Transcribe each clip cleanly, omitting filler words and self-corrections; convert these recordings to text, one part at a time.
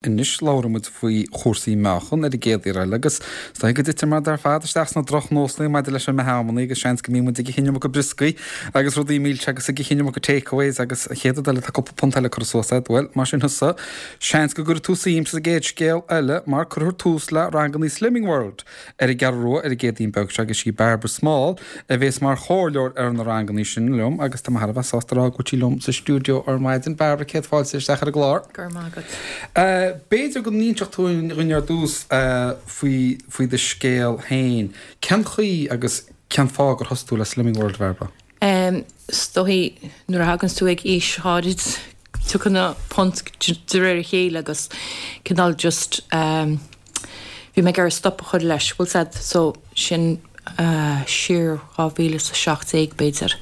Anois labhróidh muid faoi chúrsaí meáchan ar an gcéad iarraidh eile agus is dóigh go dtiteann muid ar fad isteach sna drochnósanna maidir leis an mbeatha amannaí agus seans go mbíonn muid ag ithe an iomarca brioscaí agus rudaí milse agus ag ithe an iomarca takeaways agus an chéad rud eile tá cúpla punt eile curtha suas agat. Bhuel, más sin thusa, seans go gcuirfidh tú suim sa gcéad scéal eile mar cuirfear tús le rangannaí Slimming World. ar an gCeathrú Rua ar an gCéadaoin beag seo agus sí Barbara Small a bhéas mar chomhairleoir ar na rangannaí sin liom agus tá mé thar a bheith sásta a rá go bhfuil sí liom sa stiúideo ar maidin. Barbara, céad fáilte isteach ar an gclár. Go raibh maith agat. B'fhéidir go n-inseodh tú dhúinn ar dtús faoi faoi do scéal féin. Cén chaoi agus cén fáth gur thosaigh tú le Slimming World, a Bharbara? Is dóichí nuair a thaganns tú ag aois áirid tiocfaidh na punt de réir a chéile agus cineál just bhí mé ag iarraidh stop a chur leis, bhfuil 's a'd, so sin siar 2017 b'fhéidir.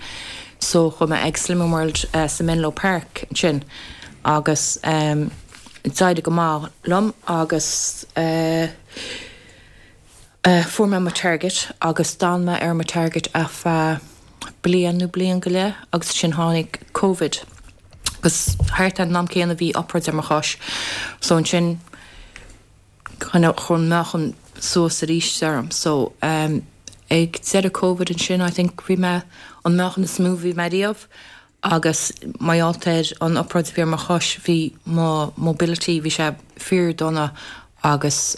So chuaigh mé ag Slimming World sa Menlo Park ansin agus d'éirigh go maith liom agus Fuair mé mo target agus d'fhan mé ar mo target ar feadh bliain nó bliain go leith agus ansin tháinig Covid agus thart ar an am céanna bhí obráid ar mo chois so ansin kind of chuir an meáchan suas arís orm so ag deireadh Covid ansin I think bhí mé an meáchan is mó bhí mé riamh agus mar gheall ar an obráid a bhí ar mo chois, bhí mo mobility, bhí sé fíor dona agus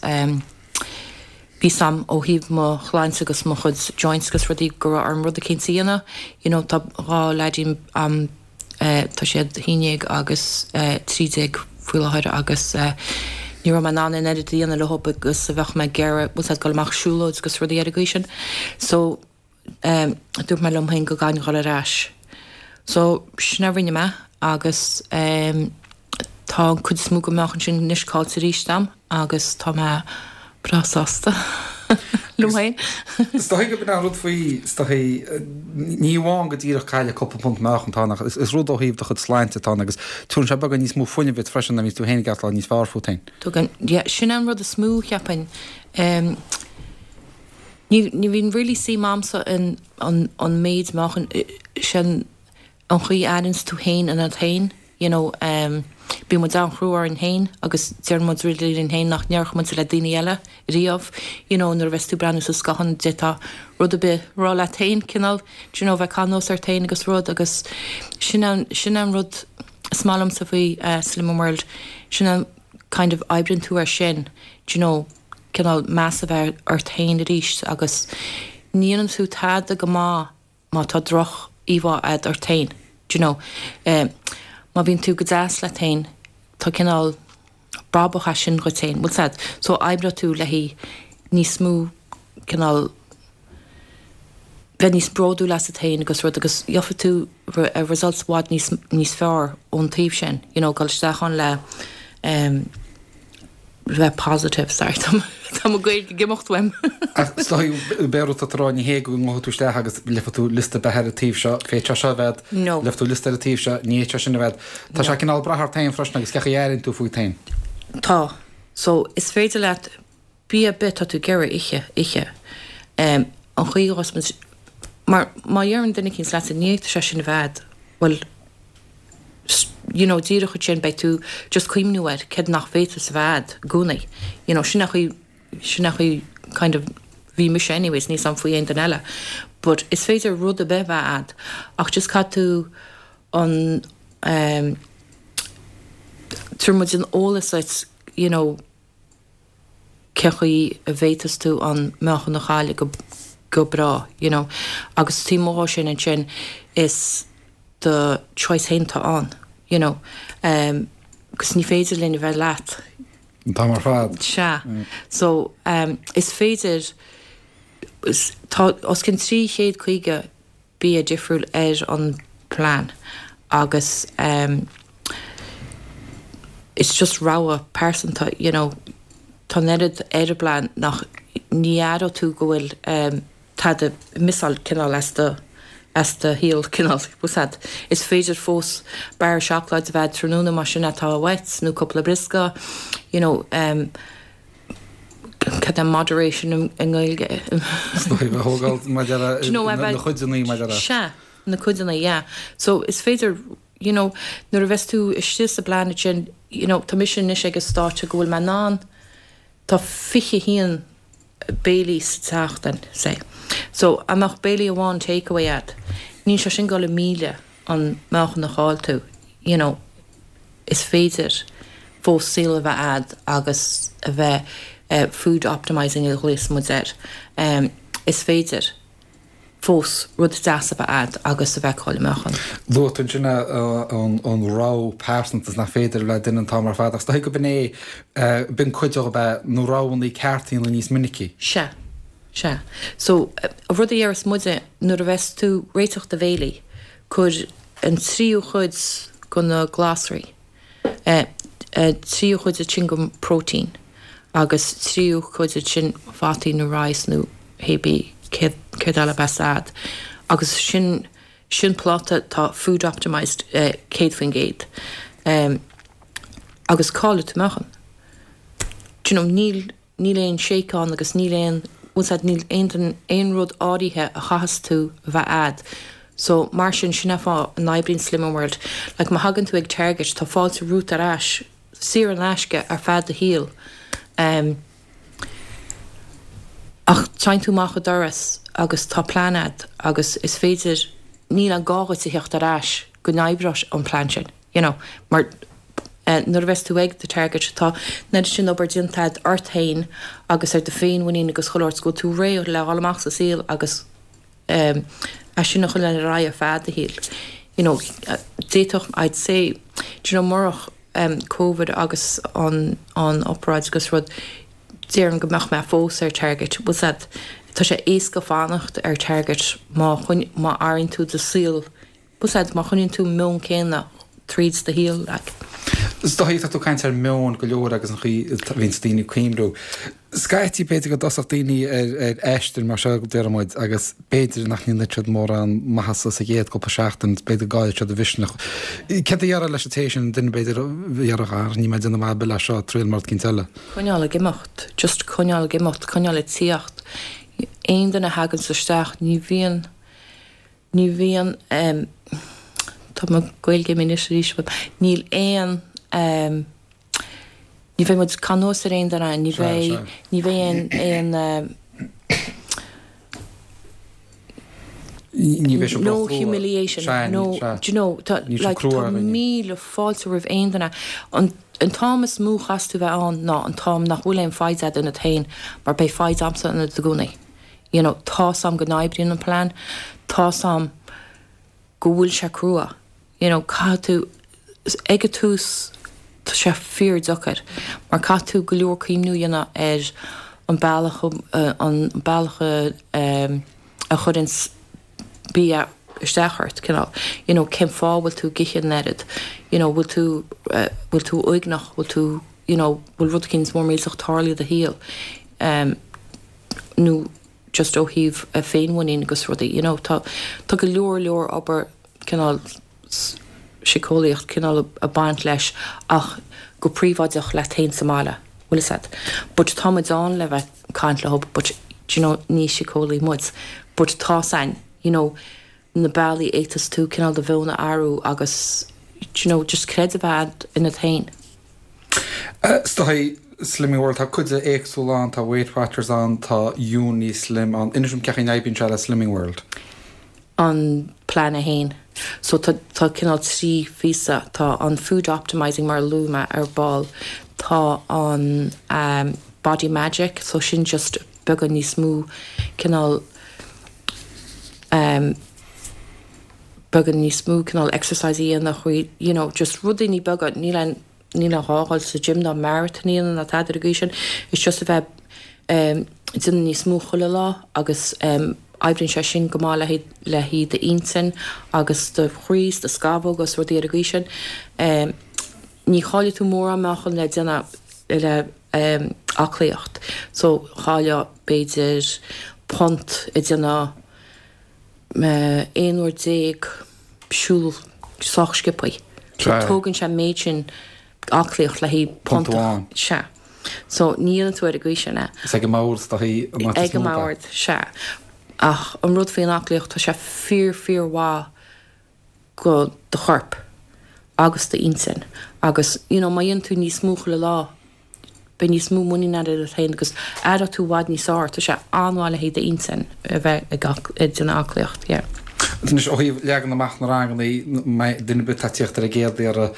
bhí 's a'm ó thaobh mo shláinte agus mo chuid joints agus rudaí go raibh orm rud eicínt a dhéanamh, you know tá 2 leaidín a'm, tá siad 11 agus 13 faoi láthair agus ní raibh mé in ann an oiread a dhéanamh leo agus a bheadh mé ag iarraidh, bhfuil 's a'd, dul amach siúlóid agus rudaí ar an gcaoi sin. So. Dúirt mé liom féin go gcaithfinn dhul ar ais. So, sin a rinne mé agus tá an cuid is mó den mheáchan sin anois caillte arís a'm agus tá mé breá sásta liom féin. Is dóigh gurb in an rud faoi, is dóigh, ní amháin go díreach cailleadh cúpla punt meáchan atá ann ach is rud ó thaobh do chuid sláinte atá ann agus tugann sé beagán níos mó fuinnimh duit freisin nuair a bhíonns tú féin ag aireachtáil níos fearr fút féin. Tugann, yeah, sin an rud is mó, cheapfainn. Ní ní bhíonn really suim a'msa in an an méid meáchain sin an chaoi a airíonns tú féin ionat féin you know bíonn muid an-chrua orainn féin agus deireann muid rudaí linn féin nach ndéarfadh muid le daoine eile riamh you know nuair a bheas tú ag breathnú sa scáthán d'fhéadfá rud ar bith a rá leat féin cineál do you know bheith ag caitheamh anuas ort féin agus rud agus sin an sin an rud is maith liomsa faoi Slimming World sin an kind of oibríonn tú air sin do you know cineál meas a bheith ort féin arís agus ní dhéanann tú tada go maith má tá droch íomhá a'd ort féin, do you know. Má bhíonn tú go deas leat féin tá cineál brabach as sin dhuit féin, bhfuil 's a'd. So oibreoidh tú le haghaidh níos mó cineál bheith níos bródúil asat féin agus rud agus gheobhaidh tú results i bhfad níos níos fearr ón taobh sin, you know, dul isteach ann le bheith positive, sorry, tá mo Gaeilge ag imeacht uaim. Ach is dóigh, b'é rud atá tú a rá, ní hé go ngabhfaidh tú isteach agus léifidh tú liosta beatha ar an taobh seo, féadfaidh sé seo a bheith agat, No. léifidh tú liosta ar an taobh seo, ní fhéadfaidh sé sin a bheith agat. Tá sé cineál ag brath ort féin freisin agus cén chaoi a airíonn tú fút féin. Tá. So, is féidir leat bia ar bith atá tú ag iarraidh ithe, ithe. An chaoi a ghabhfas muid, mar má dheireann duine eicínt leatsa ní fhéadfadh sé sin a bheith agat, bhuel, you know díreach ansin beidh tú just cuimhniú air céard nach bhféadfas a bheith a'd i gcónaí you know sin an chaoi sin an chaoi kind of bhí mise anyways níl 's a'm faoi aon duine eile but is féidir rud ar bith a bheith a'd ach just caithfidh tú an ehm tabharfaidh muid an eolas duit you know cén chaoi a bhféadfas tú an meáchan a chailleadh go go breá you know agus taobh amuigh dhó sin ansin is do choice féin atá ann you know agus ní féidir linn a bheith leat an t-am ar fad. Sea. So is féidir tá os cionn 350 bia difriúil ar an plean agus it's just rogha pearsanta you know tá an oiread ar an bplean nach ní aireoidh tú go bhfuil tada ag missáil cineál as do as do shaol cineál bhfuil 's a'd. Is féidir fós barra seacláid a bheith a'd tráthnóna más sin atá uait nó cúpla briosca you know. Cad é moderation i nGaeilge? Is dóigh a thógáil maidir le na cuideanna maidir le. Sea, na cuideanna, yeah. So is féidir, you know, nuair a bheas tú istigh sa bplean sin, you know, tá mise anois ag an stáitse go bhfuil mé in ann, tá 21 béilí sa tseachtain, say. So, dá mbeadh béilí amháin takeaway a'd, níl sé sin ag dul ag milleadh an meáchan a chaill tú, you know, is féidir fós saol a bheith a'd agus a bheith food optimising a ghlaos muid air. Is féidir fós rud deas a bheith a'd agus a bheith ag cailleadh meáchan. Luaigh tú ansin an rogha pearsanta is nach féidir le duine an t-am ar fad ach is dóigh go b'in é, b'in cuid de ab ea na roghanna cearta a dhéanamh níos minicí. Sea. Sea. So, an rud a deireas muide, nuair a bheas tú ag réiteach do bhéilí, cuir an tríú chuid go na glasraí, tríú chuid ansin go próitéin agus tríú cuid ansin fataí nó rice nó hébí céard eile a bheas a'd. Agus sin, sin pláta atá food optimised 100%. Agus caillfidh tú meáchan. Do you know, níl. Níl aon shake ann agus níl aon, bhfuil 's a'd, níl aon, aon rud áirithe a chaitheas tú a bheith a'd. So, mar sin, sin é fáth a n-oibríonn Slimming World. Like, má thagann tú ag Target, tá fáilte romhat ar ais, saor in aisce, ar feadh do shaoil. Em, ach téann tú amach an doras agus tá plean a'd agus is féidir, níl aon gá dhuit a theacht ar ais go n-oibreoidh an plean sin. you know, mar nuair a bheas tú ag do target tá an oiread sin obair déanta a'd ort féin agus ar do féinmhuinín agus chuile shórt go bhfuil tú réidh le dhul amach sa saol agus é sin a choinneáil ar aghaidh ar feadh do shaoil. You know, d'fhéadfadh, I'd say, do you know, murach Covid agus an an obráid agus rud, déarfainn go mbeadh mé fós ar target, bhfuil 's a'd, tá sé éasca fanacht ar target má má athraíonn tú do saol Bhfuil 's a'd, má choinníonn tú an meon céanna tríd do shaol, like. Is dóigh, tá tú ag caint ar meon go leor agus an chaoi a bhíonns daoine ag cuimhniú. Scaití b'fhéidir go dtosódh daoine ar ar aistear mar seo, déarfaidh muid, agus b'fhéidir nach ndéanfaidh siad mórán maitheasa sa gcéad cúpla seachtain, b'fhéidir go gcaillfidh siad a mhisneach. Céard a déarfá leis an té sin, duine b'fhéidir a dhéarfadh, ah, níl mé ag déanamh maith ar bith leis seo, triail rud eicínt eile. Coinneáil ag imeacht, just coinneáil ag imeacht, coinneáil ag tíocht. Aon duine a thaganns isteach, ní bhíonn, Ní bhíonn, tá mo Ghaeilge imithe anois arís uaim, níl aon, ní bheidh muid ag caitheamh anuas ar aon duine, ní bheidh, ní bheidh aon, aon, Ní bheidh sé no humiliation, no, do you know, tá, like, tá míle fáilte roimh aon duine. An, an t-am is mó chaithfeas tú bheith ann ná an t-am nach bhfuil aon foighid agat ionat féin, mar beidh foighid a'msa ionat i gcónaí. You know, tá's a'm go n-oibríonn an plean, tá's a'm go bhfuil sé crua, you know, caithfidh tú, ag an tús tá sé fíordheacair mar caithfidh tú go leor cuimhniú a dhéanamh ar an bealach, an bealach a, a chuireanns bia isteach ort, cineál, you know, cén fáth a bhfuil tú ag ithe an oiread, you know, bhfuil tú, bhfuil tú uaigneach, bhfuil tú, you know, bhfuil rud eicínt mór millteach tarlaithe i do shaol, em, nó just ó thaobh féinmhuinín agus rudaí, you know, tá, tá go leor leor obair cineál síceolaíocht cineál ag baint leis ach go príobháideach leat féin sa mbaile, bhfuil fhios a'd. But tá muid ann le bheith ag caint leo but do you know ní síceolaí muid but tá's a'inn, you know, na bealaí a fhéadfas tú cineál do mheon a athrú agus do you know just creideamh a bheith a'd ionat féin. Is dóigh, Slimming World, tá cuid éagsúla ann, tá Weight Watchers ann, tá Unislim ann. Inis dom cén chaoi a n-oibríonn sé le Slimming World. An plean é féin. So tá tá cineál 3 phíosa, tá an food optimising mar a luaigh mé ar ball, tá an um body magic, so sin just beagán níos mó cineál um beagán níos mó cineál exercise a dhéanamh, you know, just rudaí beaga, níl aon, níl aon ghá dhul sa gym ná marathon a dhéanamh ná tada ar an gcaoi sin, it's just a bheith ag déanamh níos mó chuile lá agus oibríonn sé sin go maith le haghaidh, le haghaidh d'intinn agus do chroí is do scamhóga is rudaí ar an gcaoi sin. Ní chaillfidh tú mórán meáchan le déanamh le aclaíocht so chaillfeá b'fhéidir punt ag déanamh 11 uair siúl sách sciobtha. So tógann sé an méid sin aclaíocht le haghaidh punt amháin. Sea. So ní dhéanann tú ar an gcaoi sin é. Is ag an mbord is dóichí an áit is mó. Ag an mbord, sea. Ach an rud faoin aclaíocht, tá sé fíor fíor mhaith go do chorp. agus d'intinn agus you know má dhéanann tú níos mó chuile lá beidh níos mó muinín agat ionat féin agus aireoidh tú i bhfad níos fearr. Tá sé an-mhaith le haghaidh d'intinn a bheith ag déanamh aclaíocht, yeah. Anois ó thaobh leagan amach na ranganna, duine ar bith atá ag tíocht ar an gcéad iarraidh,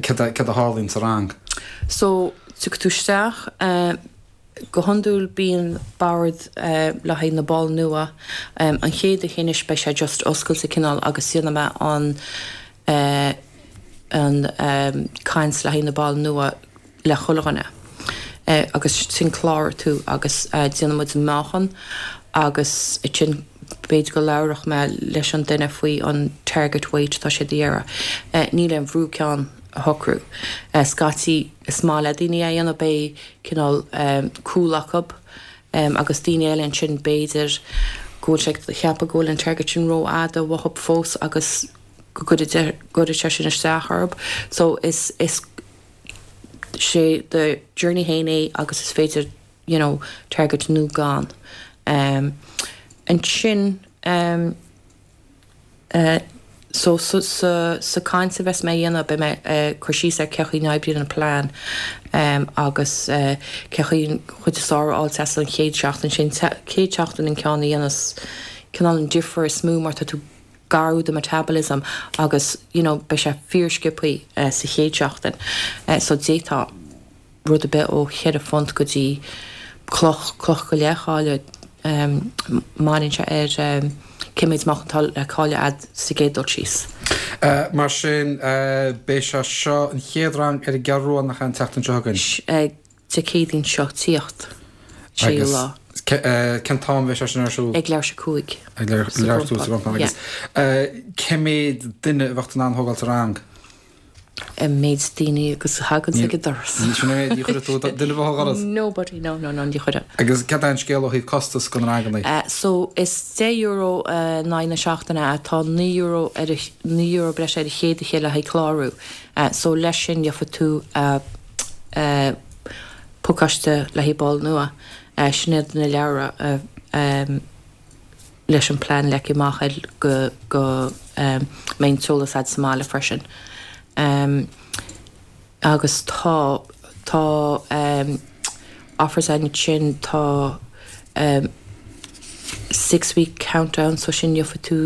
céard a tharlaíonn sa rang? So, tiocfaidh tú isteach, go hiondúil bíonn bord le haghaidh na ball nua. An chéad oíche anois beidh sé just oscailte cineál agus déanfaidh mé an an caint le haghaidh na ball nua le chuile dhuine agus ansin cláróidh tú agus déanfaidh muid an meáchan agus ansin b'fhéidir go labhróidh mé leis an duine faoi an target weight atá siad a iarraidh. Níl aon bhrú ceann a shocrú. Scaití is maith le daoine é a dhéanamh beidh cineál cúl acu agus daoine eile ansin b'fhéidir go bhfuil sé ag ceapadh go bhfuil an target sin rófhada uathu fós agus go gcuirfidh sé sin isteach orthu. So is is sé do journey féin é agus is féidir you know target nó gan. Ansin so sa sa caint a bheas mé a dhéanamh beidh mé ag cur síos ar cé chaoi a n-oibríonn an plean agus cé chaoi an chuid is fearr a fháilt as an chéad seachtain sin. Chéad seachtain an ceann a dhéanas cineál an difear is mó mar tá tú ag athrú do metabolism agus you know beidh sé fíor sciobthaí sa chéad seachtain so d'fhéadfá rud ar bith ó cheithre phunt go dtí cloch, cloch go leith a chailleadh mbaineann sé ar cé méid meáchan atá le cailleadh a'd sa gcéad dul síos. Mar sin beidh sé seo an chéad rang ar an gCeathrú Rua nach ea an tseachtain seo chugainn? Dé Céadaoin seo tíocht, séú lá. Agus cén t-am a bheidh sé sin ar siúl? Ag leathuair tar éis a cúig. Ag leathuair tar éis a cúig agus cé méid duine a bheadh tú in ann a thógáil sa rang? An méid daoine agus a thagann ag an doras. Sin é, ní chuirfidh tú duine ar bith ó dhoras? Nobody, no, no, no, ní chuirfidh. Agus cad é an scéal ó thaobh costas go na ranganna? So is €10 in aghaidh na seachtaine atá €9 ar €9 breise ar an chéad oíche le haghaidh clárú. So leis sin gheobhaidh tú pacáiste le haghaidh ball nua. Sin iad na leabhra leis an plean leagtha amach air go go mbeidh an t-eolas a'd sa mbaile freisin. Agus tá tá offers againn ansin, tá six week countdown so sin gheobhaidh tú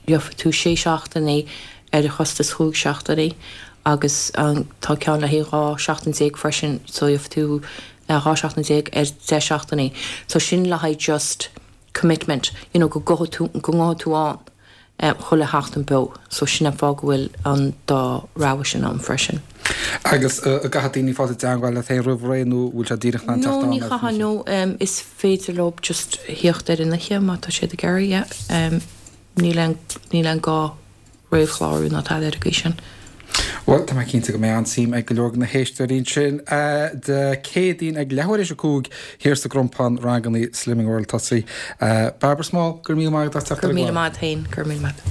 gheobhaidh tú sé seachtainí ar chostas chúig seachtainí agus tá ceann le haghaidh 12 seachtain freisin so gheobhaidh tú 12 seachtain ar 10 seachtainí. So sin le haghaidh just commitment, you know, go gabhfaidh tú, go ngabhfaidh tú ann chuile sheachtain beo. So sin an fáth go bhfuil an dá rogha sin ann freisin. Agus an gcaithfidh daoine fáil i dteangmháil leat féin roimh ré nó bhfuil sé díreach in ann teacht ann? No, ní chaithfidh, no. Is féidir leo just theacht ar an oíche má tá siad ag iarraidh, yeah. Níl aon, níl aon gá réamhchlárú ná tada ar an gcaoi sin. Bhuel, tá mé cinnte go mbeidh an-suim ag go leor de na héisteoirí ansin. Dé Céadaoin ag leathuair théis 5 thiar sa gCrompán, ranganna Slimming World tosaithe. Barbara Small, go raibh míle maith agat as teacht ar an gclár. Go raibh míle maith agat féin, go raibh míle maith.